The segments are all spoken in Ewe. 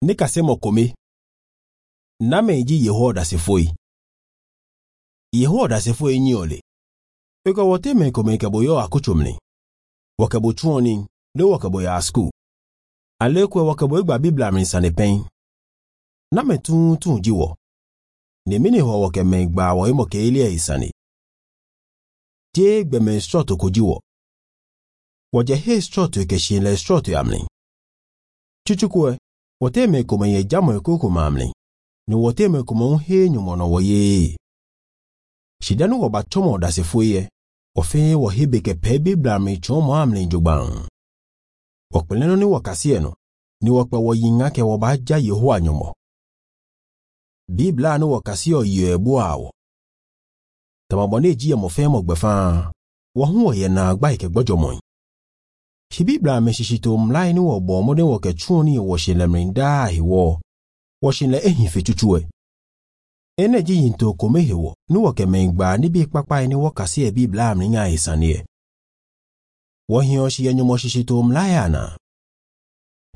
Ne kasemo kome. Name ji Yehowa Dasefo. Yehowa Dasefo nyi ole. Eko wote me kome ke boyo akuchumni. Wakebo chuoni, le wakebo ya asku. Alekwe wakebo igba Biblia mi sane pen. Name tun tun jiwo. Nemini ho wake me gba wo imo ke ile isani. Je gbeme strɔto ko jiwo. Wɔdze he strɔto ke shi le strɔto amli. Tsutsukue, wɔte me kome ye dzamɔ koko ma amli. Ne wɔte me kome ŋu he nyumɔnɔ wɔ ye. Shidanu wɔ ba tsɔmɔ ɖasefo ye. Wɔfe wɔ he be ke pɛ Biblia mi tsɔmɔ amli dzogbaŋ. Wɔkplẽnu ni wɔ kasie no. Ni wɔkpɛ wɔ yiŋa ke wɔ ba dza Yehowa nyumɔ. Biblia ni wɔ kasie yɔ eboa wɔ. Tamabɔ ne dzi mɔ fɛn mɔ gbɛfaa. Wɔ hu wɔ yɛ na gba yi ke gbɔdzɔ mɔe. Si Biblia me sisi to mlae ni wɔ bɔ mɔden wɔ ke tsuo ni wɔ si le mli daa hi wɔ. Wɔ si le ehin fe tutuɛ. Ene dzi yi to kome he wɔ ni wɔ ke me gba ni bi kpakpa yi ni wɔ kasi yɛ Biblia mli nya yi sani yɛ. Wɔ hiɔ si yɛ nyɔmɔ sisi to mlae ana.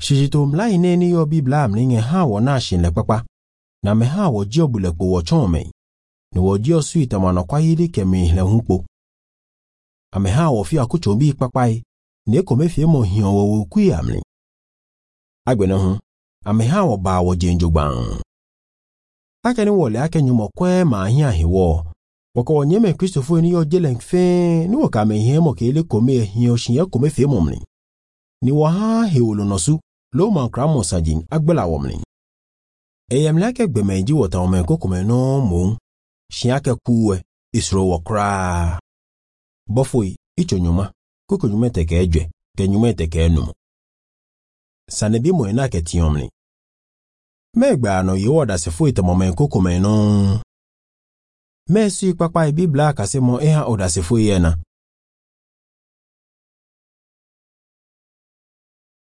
Sisi to mlae ne ni yɔ Biblia mli nya hã wɔ na si le kpakpa. Na me hã wɔ dzi bu le kpo wɔ tsɔn me. Ne wɔ dzi sui tamanɔ kwa yi li ke mi le ŋu kpo. Ame hã wɔ fi akutso bi kpakpa yi ne kome fie mɔ hiɔ wɔ wɔ kui amli. Agbene hu, ame hã wɔ ba wɔ dze ndzogbaŋ. Ake ni wɔ le ake nyumɔ kɔe ma hiã hi wɔ. Wɔkɔ wɔ nye me Kristofo ni yɔ dze le fɛɛ ni wɔ kame hiã mɔ ke le kome hiɔ si ye kome fie mɔ mli. Ni wɔ hã he wò lɔnɔ su, lo ma kra mɔ sadzi agbela wɔ mli. Eyam le ake gbeme dzi wɔ tawɔ me kokome nɔ mɔ si ake kuwe isro wɔ koraa. Bɔfoyi itso nyuma koko nyuma teke edze ke nyuma teke enum. Sane bi mɔ ena ke tiɔmli. Mɛgba nɔ Yehowa Ɖasefo yi tɛmɔmɛ kokome nɔ. Mɛ sui kpakpa yi Biblia kase mɔ eha o Ɖasefo yi ena.